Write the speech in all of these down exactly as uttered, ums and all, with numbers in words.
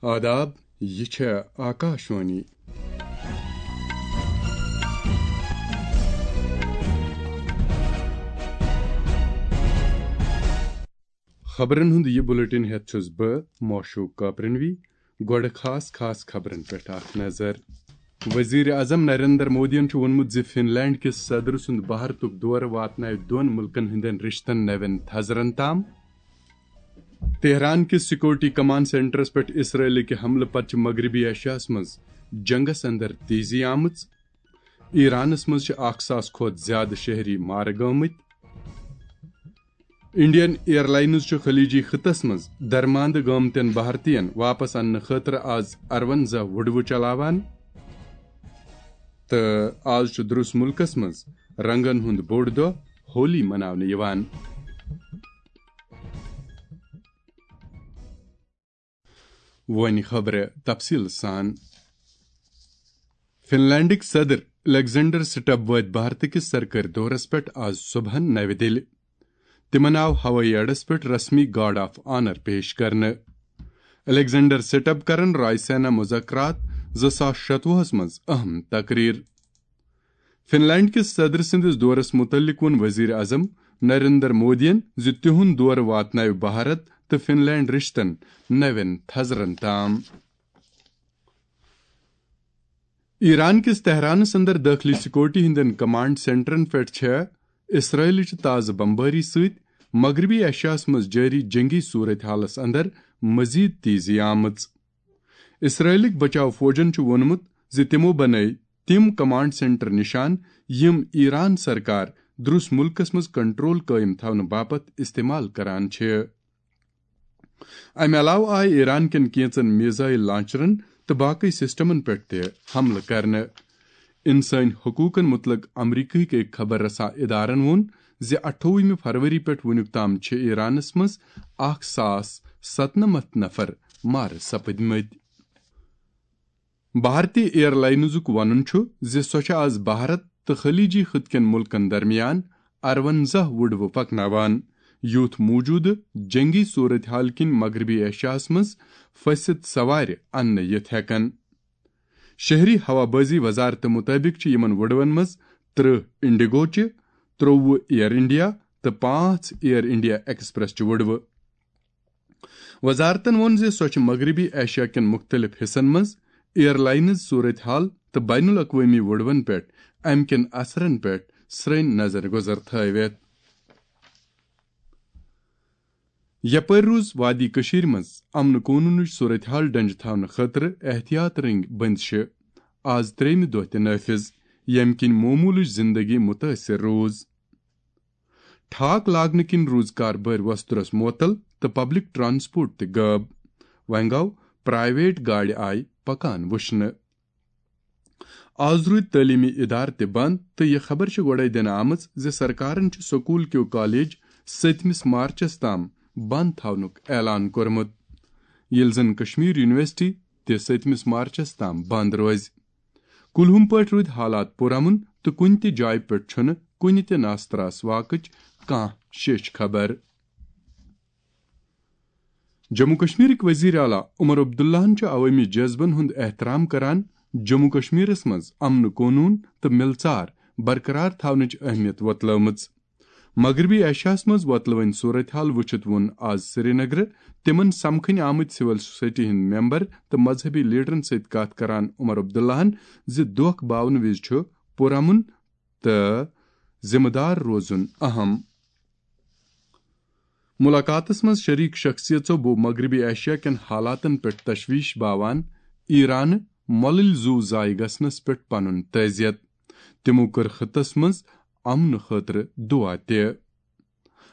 آداب، یہِ چھےٚ آکاشوانی۔ خبرن ہُنٛد یہِ بلیٹن ہٮ۪تھ چھُس بہٕ موشوق کاپرنوی۔ گۄڈٕ خاص خاص خبرن پٮ۪ٹھ اکھ نظر۔ وزیر اعظم نریندر مودیَن چھُ ووٚنمُت زِ فن لینڈ کِس صدر سُنٛد بھارتُک دورٕ واتناوِ دۄن مُلکن ہٕنٛدٮ۪ن رشتن نوٮ۪ن تھزرن تام۔ تہران کِس سیکورٹی کمانڈ سینٹرس پٮ۪ٹھ اسرائیلٕکہِ حملہٕ پتہٕ چھِ مغربی ایشیاہس منٛز جنگس اندر تیزی آمٕژ۔ ایرانس منٛز چھِ اکھ ساس کھۄتہٕ زیادٕ شہری مارٕ گٲمٕتۍ۔ انڈین ایئر لائنز چھُ خلیجی خطس منٛز درماندٕ گٲمتٮ۪ن بھارتین واپس اننہٕ خٲطرٕ آز ارونزہ وُڈوٕ چلاوان۔ تہٕ آز چھُ درُس مُلکس منٛز رنگن ہُنٛد بوٚڑ دۄہ ہولی مناونہٕ یِوان۔ وۄنۍ خبرٕ تفصیل سان۔ فن لینڈٕکۍ صدر الیگزینڈر سٹب وٲتۍ بھارتہٕ کِس سرکٲرۍ دورس پٮ۪ٹھ آز صبحن نوِ دِلہِ۔ تِمن آو ہوٲیی اڈس پٮ۪ٹھ رسمی گارڈ آف آنر پیش کرنہٕ۔ الیگزینڈر سٹب کرن رائے سینا مذاکرات زٕ ساس شتوُہس منٛز اہم تقریر۔ فن لینڈ کِس صدر سٕنٛدِس دورس مُتعلق ووٚن وزیر اعظم نریندر مودیَن زِ تِہُنٛد دورٕ واتناوِ بھارت تہٕ فن لینڈ رشتن نوٮ۪ن تھزرن تام۔ ایران کِس تہرانس اندر دٲخلی سیکورٹی ہٕنٛدٮ۪ن کمانڈ سینٹرن پٮ۪ٹھ چھےٚ اسرائیلٕچ تازٕ بمبٲری سۭتۍ مغربی ایشیاہس منٛز جٲری جنگی صورتحالس اندر مزید تیزی آمٕژ۔ اسرائیلٕکۍ بچاو فوجن چھُ ووٚنمُت زِ تِمو بنٲوۍ تِم کمانڈ سینٹر نشان، یِم ایران سرکار درُس مُلکس منٛز کنٹرول قٲیِم تھاونہٕ باپتھ استعمال کران چھِ۔ امہِ علاوٕ آیہِ ایران کٮ۪ن کینژن میزائل لانچرن تہٕ باقی سسٹمن پٮ۪ٹھ تہِ حملہٕ کرنہٕ۔ انسٲنی حقوقن متعلق امریکہٕکۍ أکۍ خبر رساں ادارن ووٚن زِ اَٹھووُہمہِ فروری پٮ۪ٹھ وُنیُک تام چھِ ایرانس منٛز اکھ ساس ستنمتھ نفر مارٕ سپٕدمٕتۍ۔ بھارتی ایئر لائنزُک وَنُن چھُ زِ سۄ چھےٚ آز بھارت تہٕ خلیجی خطہٕ کٮ۪ن مُلکَن درمیان ارونزہ وُڈوٕ پَکناوان، یُتھ موٗجوٗدٕ جنگی صورتحال کِنۍ مغربی ایشیاہَس منٛز فٔسِتھ سوارِ اَننہٕ یِتھ ہٮ۪کَن۔ شہری ہوا بازی وزارتہٕ مُطٲبِق چھِ یِمَن وُڈوَن منٛز ترٕٛہ انڈیگوچہِ، ترٛوٚوُہ ایئر انڈیا تہٕ پانٛژھ ایئر انڈیا ایکسپریس چہِ وُڈوٕ۔ وزارتن ووٚن زِ سۄ چھِ مغربی ایشیا کٮ۪ن مُختٔلِف حصن منٛز ایئر لائنز صورتحال تہٕ بین الاقوٲمی وُڈوَن پٮ۪ٹھ امہِ کٮ۪ن اثرن پٮ۪ٹھ سرٛنۍ نظر گُزر تھٲوِتھ۔ یپٲرۍ روٗز وادی کٔشیٖرِ منٛز امن قونوٗنٕچ صورتحال ڈنجہِ تھاونہٕ خٲطرٕ احتیاط رٔنگۍ بندشہِ آز ترٛیٚیِمہِ دۄہ تہِ نٲفذ، ییٚمہِ کِنۍ معموٗلٕچ زندگی مُتٲثر روٗز۔ ٹھاک لاگنہٕ کِنۍ روٗز کاربٲرۍ وۄسترس معطل تہٕ پبلک ٹرانسپورٹ تہِ غٲب۔ وۄنۍ گوٚو پرائیویٹ گاڑِ آیہِ پکان وٕچھنہٕ۔ آز روٗدۍ تعلیمی ادارٕ تہِ بند تہٕ یہِ خبر چھِ گۄڈے دِنہٕ آمٕژ زِ سرکارن چھِ سکوٗل کیو کالج سٔتمِس مارچس تام بند تھاونُک اعلان کوٚرمُت، ییٚلہِ زن کشمیر یونیورسٹی تہِ سٔتمِس مارچس تام بند روزِ۔ کُلہُم پٲٹھۍ روٗدۍ حالات پُرامن تہٕ کُنہِ تہِ جایہِ پٮ۪ٹھ چھُنہٕ کُنہِ تہِ ناس تراس واقٕچ کانٛہہ شیٚچھ خبر۔ جموں کشمیرٕکۍ وزیر اعلیٰ عمر عبداللہن چھُ عوٲمی جذبن ہُنٛد احترام کران، جموں کشمیرس منٛز امن قونوٗن تہٕ مِلژار برقرار تھاونٕچ اہمیت وۄتلٲومٕژ۔ مغربی ایشیاہس منٛز وۄتلوٕنۍ صورتحال وٕچھِتھ ووٚن آز سرینگرٕ تِمن سمکھٕنۍ آمٕتۍ سول سوسائٹی ہٕنٛدۍ ممبر تہٕ مذہبی لیڈرن سۭتۍ کتھ کران عمر عبداللہن زِ دۄکھ باونہٕ وِزِ چھُ پُرامن تہٕ ذمہٕ دار روزُن اہم۔ ملاقاتس منٛز شریک شخصیژو بو مغربی ایشیا کٮ۪ن حالاتن پٮ۪ٹھ تشویش باوان ایرانہٕ مۄلٕلۍ زُو ضایع گژھنس پٮ۪ٹھ پنُن تعزیت۔ تِمو کٔر خطس منٛز امنہٕ خٲطرٕ دعا تہِ۔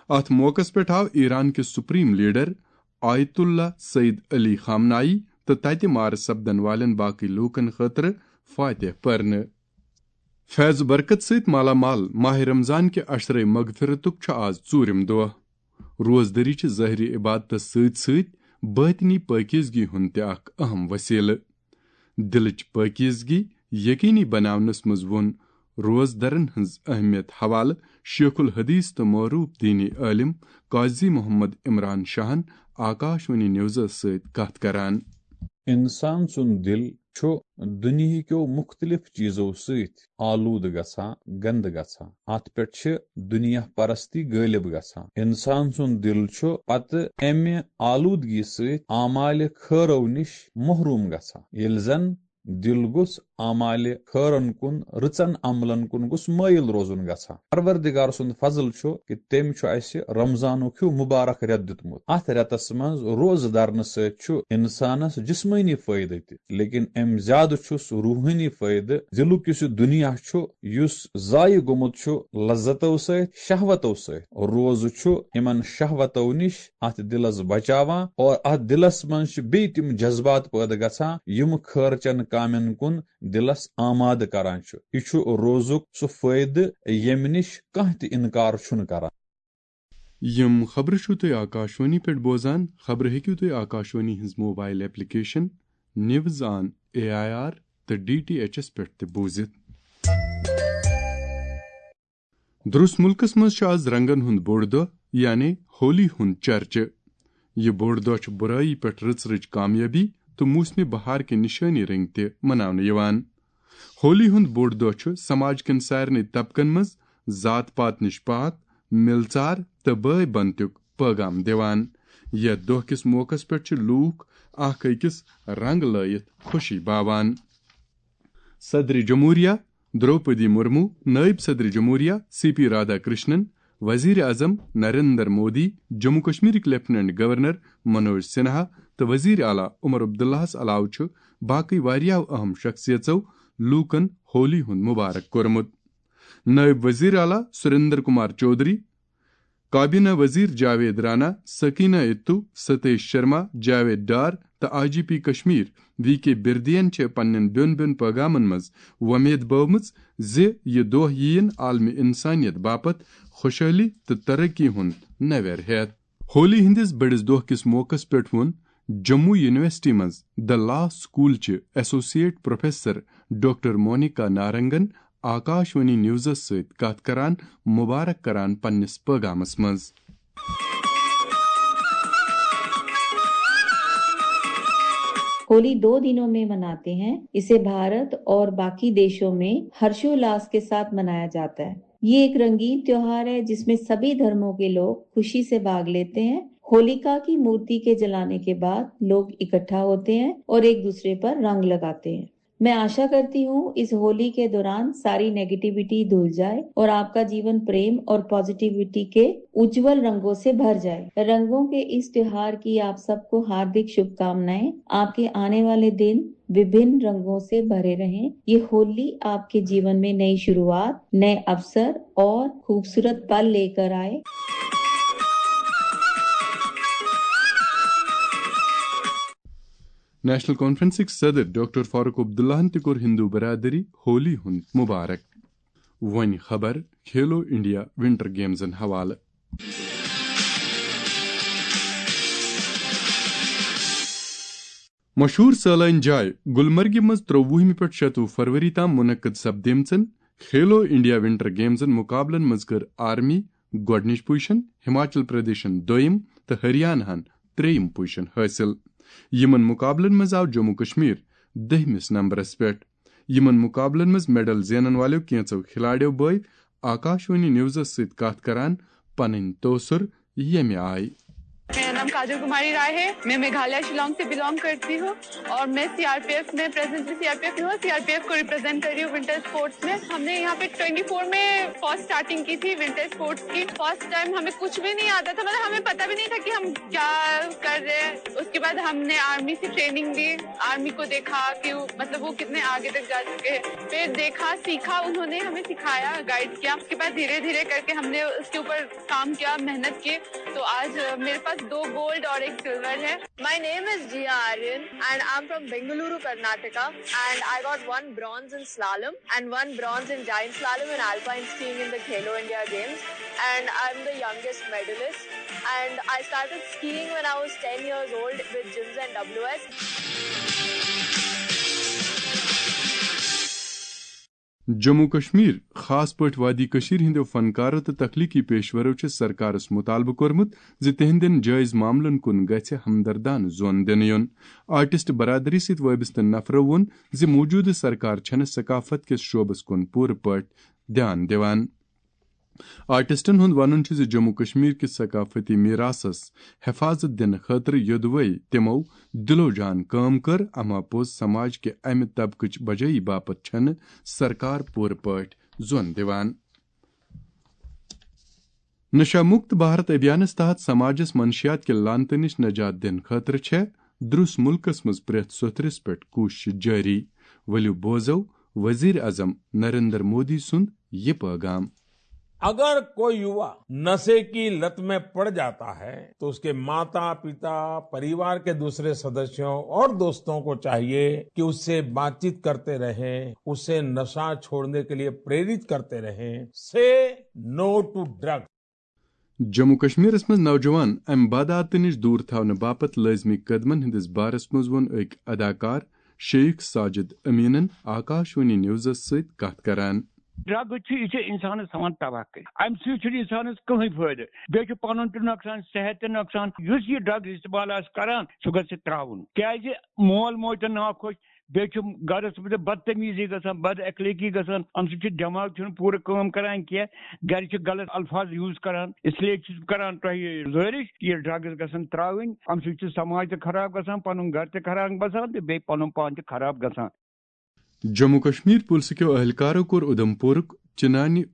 اتھ موقعس پٮ۪ٹھ آو ایران کِس سپریم لیڈر آیت اللہ سید علی خامنائی تہٕ تتہِ مارٕ سپدن والٮ۪ن باقی لوٗکن خٲطرٕ فاتح پرنہٕ۔ فیض و برکت سۭتۍ مالا مال ماہ رمضان کہِ عشرے مغفرتُک چھُ آز ژوٗرِم دۄہ۔ روزدٔری چھِ ظٲہری عبادتس سۭتۍ سۭتۍ باطنی پٲکیزگی ہُنٛد تہِ اکھ اہم وسیلہٕ۔ دِلٕچ پٲکیزگی یقینی بناونس منٛز ووٚن روزدرن ہٕنٛز اہمیت حوالہٕ شیخ الحدیث تہٕ معروف دینی عٲلم قاضی محمد عمران شاہن آکاشوانی نیوزس سۭتۍ کتھ کران۔ انسان سُنٛد دِل چھُ دُنیہکیو مُختٔلِف چیٖزو سۭتۍ آلوٗدٕ گژھان، گنٛدٕ گژھان۔ اتھ پٮ۪ٹھ چھِ دُنیا پرستی غٲلب گژھان۔ انسان سُنٛد دِل چھُ پتہٕ امہِ آلوٗدگی سۭتۍ اعمالِ خٲرو نِش محروٗم گژھان۔ ییٚلہِ زن دِل گوٚژھ اعمالِ خٲرن کُن، رٕژن عملن کُن گوٚژھ مٲیِل روزُن گژھان۔ پروردگار سُنٛد فضل چھُ کہِ تٔمۍ چھُ اَسہِ رمضانُک ہیوٗ مُبارک رٮ۪تھ دیُتمُت۔ اَتھ رٮ۪تس منٛز روزٕ دارنہٕ سۭتۍ چھُ اِنسانس جسمٲنی فٲیدٕ تہِ، لیکن اَمہِ زیادٕ چھُس روحٲنی فٲیدٕ۔ دِلُک یُس یہِ دُنیا چھُ، یُس ضایع گوٚمُت چھُ لذتو سۭتۍ، شہوتو سۭتۍ، روزٕ چھُ یِمن شہوتو نِش اتھ دِلس بچاوان، اور اتھ دِلس منٛز چھِ بیٚیہِ تِم جذبات پٲدٕ گژھان، یِم خٲرچن کامٮ۪ن کُن دِلس آمادٕ کران چھُ۔ یہِ چھُ روزُک سُہ فٲیدٕ، ییٚمہِ نِش کانٛہہ تہِ انکار چھُنہٕ کران۔ یِم خبرٕ چھِو تُہۍ آکاشوانی پٮ۪ٹھ بوزان۔ خبرٕ ہیٚکِو تُہۍ آکاشوانی ہٕنٛز mobile application news on A I R تہٕ ڈی ٹی ایچ ایس پٮ۪ٹھ تہِ بوٗزِتھ۔ درُس مُلکس منٛز چھُ آز رنگن ہُنٛد بوٚڑ دۄہ، یعنی ہولی ہُنٛد چرچہٕ۔ یہِ بوٚڑ دۄہ چھُ بُرٲیی پٮ۪ٹھ رٕژ رٕژ کامیٲبی تہٕ موسمِ بہار کہِ نِشٲنی رٔنٛگۍ تہِ مناونہٕ یِوان۔ ہولی ہُنٛد بوٚڑ دۄہ چھُ سماج کٮ۪ن سارنٕے طبقن منٛز ذات پات نِش پاک، مِلژار تہٕ بٲے بنتُک پٲغام دِوان۔ یتھ دۄہ کِس موقعس پٮ۪ٹھ چھِ لوٗکھ اکھ أکِس رنگ لٲیِتھ خوشی باوان۔ صدر جمہوریہ دروپدی مرمو، نائب صدر جمہوریہ سی پی رادھا کرشنن، وزیر اعظم نریندر مودی، جموں کشمیرٕکۍ لیفٹیننٹ گورنر منوج سنہا تہٕ وزیر اعلیٰ عمر عبداللہس علاوٕ چھُ باقٕے واریاہو اہم شخصیژو لوٗکن ہولی ہُنٛد مبارک کوٚرمُت۔ نائب وزیر اعلیٰ سریندر کمار چودھری، کابینہ وزیر جاوید رانا، سکینہ اتو، ستیش شرما، جاوید ڈار تہٕ I G P Kashmir V K بردین چھِ پننٮ۪ن بیوٚن بیوٚن پٲغامن منٛز وۄمید بٲومٕژ زِ یہِ دۄہ یِیِن عالمِ انسانیت باپتھ خوشحٲلی تہٕ ترقی ہُنٛد نویر ہٮ۪تھ۔ ہولی ہٕنٛدِس بٔڑِس دۄہ کِس موقعس پٮ۪ٹھ ووٚن جموں یونیورسٹی منٛز The Law School چہِ ایسوسیٹ پروفیسر ڈاکٹر مونیکا نارنگن آکاشوانی نیوزس سۭتۍ کتھ کران مبارک کران پننِس پٲغامس منٛز۔ होली दो दिनों में मनाते हैं। इसे भारत और बाकी देशों में हर्षोल्लास के साथ मनाया जाता है। ये एक रंगीन त्योहार है, जिसमें सभी धर्मों के लोग खुशी से भाग लेते हैं। होलिका की मूर्ति के जलाने के बाद लोग इकट्ठा होते हैं और एक दूसरे पर रंग लगाते हैं। मैं आशा करती हूँ, इस होली के दौरान सारी नेगेटिविटी धुल जाए और आपका जीवन प्रेम और पॉजिटिविटी के उज्जवल रंगों से भर जाए। रंगों के इस त्योहार की आप सबको हार्दिक शुभकामनाएं। आपके आने वाले दिन विभिन्न रंगों से भरे रहें। ये होली आपके जीवन में नई शुरुआत, नए अवसर और खूबसूरत पल लेकर आए। نیشنل کانفرنسٕکۍ صدر ڈاکٹر فاروق عبداللہن تہِ کوٚر ہندو برادری ہولی ہُنٛد مبارک۔ وۄنۍ خبر کھیلو انڈیا ونٹر گیمزن حوالہٕ۔ مشہوٗر سٲلٲنۍ جاے گلمرگہِ منٛز ترٛۆوُہمہِ پٮ۪ٹھ شَتوُہ فروری تام منعقد سپدیمژن کھیلو انڈیا ونٹر گیمزن مقابلن منٛز کٔر آرمی گۄڈٕنِچ پوزیشن، ہماچل پردیشن دوٚیِم تہٕ ہریانہن ترٛیٚیِم پوزیشن حٲصِل۔ یِمن مقابلن منٛز آو جموں کشمیر دٔہمِس نمبرس پٮ۪ٹھ۔ یِمن مقابلن منٛز میڈل زینن والٮ۪و کینٛژو کھلاڑیو بٲوۍ آکاشوانی نیوزس سۭتۍ کتھ کران پنٕنۍ تٲثر ییٚمہِ آیہِ۔ मेरा नाम काजल कुमारी राय है। मैं मेघालय शिलोंग से बिलोंग करती हूँ और मैं सीआरपीएफ में, प्रेजेंटली सीआरपीएफ में हूँ, सीआरपीएफ को रिप्रेजेंट कर रही हूँ विंटर स्पोर्ट्स में। हमने यहाँ पे ट्वेंटी फोर में फर्स्ट स्टार्टिंग की थी विंटर स्पोर्ट्स की। फर्स्ट टाइम हमें कुछ भी नहीं आता था, मतलब हमें पता भी नहीं था कि हम क्या कर रहे हैं। उसके बाद हमने आर्मी से ट्रेनिंग ली, आर्मी को देखा कि वो, मतलब वो कितने आगे तक जा चुके हैं। फिर देखा, सीखा, उन्होंने हमें सिखाया, गाइड किया। उसके बाद धीरे धीरे करके हमने उसके ऊपर काम किया, मेहनत की। तो आज अ, मेरे पास दो गोल्ड और एक सिल्वर है। My name is Jia Aryan and I'm from Bengaluru, Karnataka, and I got one bronze in slalom and one bronze in giant slalom and alpine skiing in the Khelo India Games, and I'm the youngest medalist, and I started skiing when I was ten years old with Jims and W S. Jammu Kashmir, خاص پٲٹھۍ وادی کشمیر ہٕنٛدیو فنکارو تہٕ تخلیقی پیشورو چھِ سرکارس مطالبہٕ کوٚرمُت زِ تِہنٛدٮ۪ن جٲیز معاملن کُن گژھِ ہمدردانہٕ زون دِنہٕ یُن۔ آرٹسٹ برادری سۭتۍ وٲبستہٕ نفرو ووٚن زِ موجودٕ سرکار چھنہٕ ثقافت کِس شعبس کُن پوٗرٕ پٲٹھۍ دھیان دِوان۔ آرٹسٹن ہُنٛد وَنُن چھُ زِ جموں کشمیر کِس ثقافتی میراثس حفاظت دِنہٕ خٲطرٕ یوٚدوَے تِمو دِلو جان کٲم کٔر، اما پوٚز سماج کہِ اَمہِ طبقٕچ بجٲیی باپتھ چھنہٕ سرکار پوٗرٕ پٲٹھۍ زون دِوان۔ نشہ مکت بھارت ابھیانس تحت سماجس منشیات کہِ لعنتہٕ نِش نجات دِنہٕ خٲطرٕ چھےٚ درس ملکس منٛز پرٛٮ۪تھ سوٚتھرِس پٮ۪ٹھ کوٗشش جٲری۔ ؤلِو بوزو وزیر اعظم نریندر مودی سُنٛد یہِ پٲغام۔ अगर कोई युवा नशे की लत में पड़ जाता है, तो उसके माता, पिता, परिवार के दूसरे सदस्यों और दोस्तों को चाहिए कि उससे बातचीत करते रहें, उसे नशा छोड़ने के लिए प्रेरित करते रहें। Say no to drug. Jammu کشمیرس منٛز نوجوان امہِ بدعاتہٕ نِش دوٗر تھاونہٕ باپتھ لٲزمی قدمن ہٕنٛدِس بارس منٛز ووٚن أکۍ اداکار شیخ ساجد امینن آکاشوانی نیوزس سۭتۍ کتھ کران۔ ڈرگ چھُ، یہِ چھُ انسانس تھاوان تباہ کٔرِتھ۔ امہِ سۭتۍ چھُنہٕ انسانس کٕہٕنۍ فٲیدٕ۔ بیٚیہِ چھُ پنُن تہِ نۄقصان، صحت تہِ نۄقصان۔ یُس یہِ ڈرگ استعمال آسہِ کران، سُہ گژھِ ترٛاوُن، کیازِ مول موج تہِ ناخۄش، بیٚیہِ چھُ گرس منٛز بدتمیزی گژھان، بد اخلٲقی گژھان۔ امہِ سۭتۍ چھُ دٮ۪ماغ چھُنہٕ پوٗرٕ کٲم کران کینٛہہ، گرِ چھِ غلط الفاظ یوز کران۔ اس لیے چھُس بہٕ کران تۄہہِ گُزٲرِش، یہِ ڈرگز گژھن ترٛاوٕنۍ۔ امہِ سۭتۍ چھُ سماج تہِ خراب گژھان، پنُن گرٕ تہِ خراب گژھان تہٕ بیٚیہِ پنُن پان تہِ خراب گژھان۔ جموں کشمیر پُلسہٕ کیو اہلکارو کوٚر اُدھمپورُک چنانی،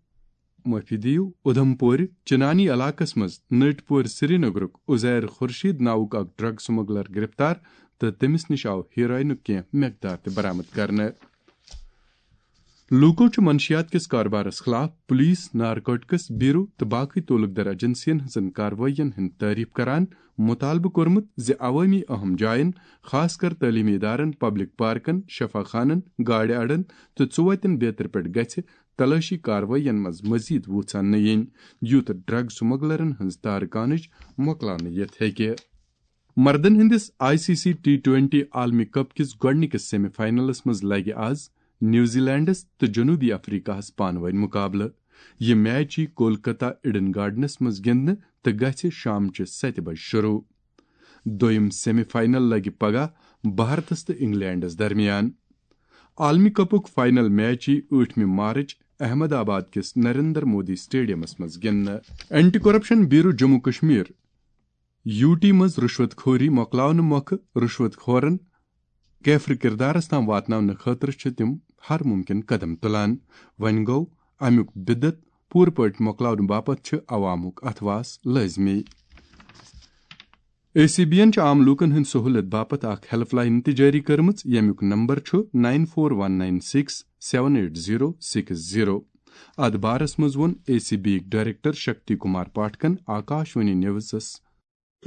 معٲفی دِیِو، اُدھمپورِ چنانی علاقس منٛز نٔٹۍ پورِ سرینگرُک عزیر خورشید ناوُک اکھ ڈرگ سمگلر گرفتار تہٕ تٔمِس نِش آو ہیروئنُک کینٛہہ مقدار تہِ برآمد کرنہٕ۔ لوٗکو چھُ منشیات کِس کاربارس خلاف پولیس، نارکوٹکس بیورو تہٕ باقٕے تعلقدار ایجنسین ہٕنٛزن کاروٲیین ہُنٛد تعریف کران، مطالبہٕ کوٚرمُت زِ عوٲمی اہم جاین، خاص کر تعلیمی ادارن، پبلک پارکن، شفا خانن، گاڑِ اڈن تہٕ ژُوتٮ۪ن بیترِ پٮ۪ٹھ گژھِ تلٲشی کاروٲیین منٛز مزید وُژھ اننہٕ یِنۍ، یُتھ ڈرگ سمگلرن ہٕنٛز تارکانٕچ مۄکلاونہٕ یِتھ ہیٚکہِ۔ مردن ہٕنٛدِس I C C T twenty عالمی کپ کِس گۄڈٕنِکِس سیمی فائنلس منٛز لگہِ آز نیوزی لینڈس تہٕ جنوبی افریقہ ہس پانہٕ وٲنۍ مقابلہٕ۔ یہِ میچ یی کولکتہ ایڈن گارڈنس منٛز گِنٛدنہٕ تہٕ گژھِ شامچہِ ستہِ بجہِ شروع۔ دوٚیِم سیمی فائنل لگہِ پگاہ بھارتس تہٕ انگلینڈس درمیان۔ عالمی کپُک فائنل میچ یی ٲٹھمہِ مارچ احمد آباد کِس نریندر مودی سٹیڈیمس منٛز گِنٛدنہٕ۔ Anti corruption bureau Jammu Kashmir, U T منٛز رُشوت خوری مۄکلاونہٕ مۄکھٕ رُشوت خورن کیفر کردارس تام واتناونہٕ خٲطرٕ چھِ تِم ہر ممکن قدم تُلان۔ وۄنۍ گوٚو، امیُک بدعت پوٗرٕ پٲٹھۍ مۄکلاونہٕ باپتھ چھِ عوامُک اتھواس لٲزمی۔ اے سی بی یَن چھِ عام لوٗکَن ہٕنٛدِ سہوٗلِیت باپتھ اکھ ہیلپ لائن تہِ جٲری کٔرمٕژ، ییٚمیُک نمبر چھُ nine four one nine six seven eight zero six zero. اَتھ بارَس منٛز ووٚن اے سی بی یِکۍ ڈائریکٹر شکتی کمار پاٹھکن آکاشوانی نیوزس۔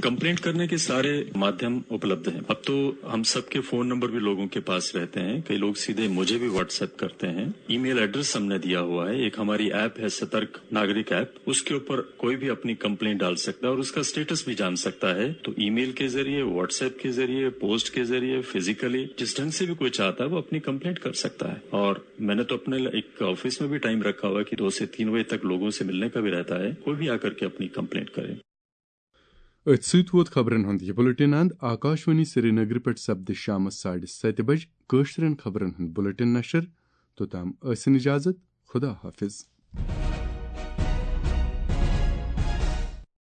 कंप्लेंट करने के सारे माध्यम उपलब्ध हैं। अब तो हम सबके फोन नंबर भी लोगों के पास रहते हैं। कई लोग सीधे मुझे भी व्हाट्सएप करते हैं। ईमेल एड्रेस हमने दिया हुआ है। एक हमारी ऐप है सतर्क नागरिक ऐप, उसके ऊपर कोई भी अपनी कंप्लेंट डाल सकता है और उसका स्टेटस भी जान सकता है। तो ईमेल के जरिए, व्हाट्सएप के जरिए, पोस्ट के जरिए, फिजिकली, जिस ढंग से भी कोई चाहता है वो अपनी कंप्लेंट कर सकता है। और मैंने तो अपने एक ऑफिस में भी टाइम रखा हुआ है कि दो से तीन बजे तक लोगों से मिलने का भी रहता है। कोई भी आकर के अपनी कंप्लेंट करे। أتھۍ سۭتۍ ووت خبرن ہُنٛد یہِ بلیٹن اند۔ آکاشوانی سرینگرٕ پٮ۪ٹھ سپدِ شامس ساڑِ ستہِ بجہِ کٲشرٮ۪ن خبرن ہُنٛد بلیٹن نشر۔ توٚتام ٲسِن اجازت۔ خدا حافظ۔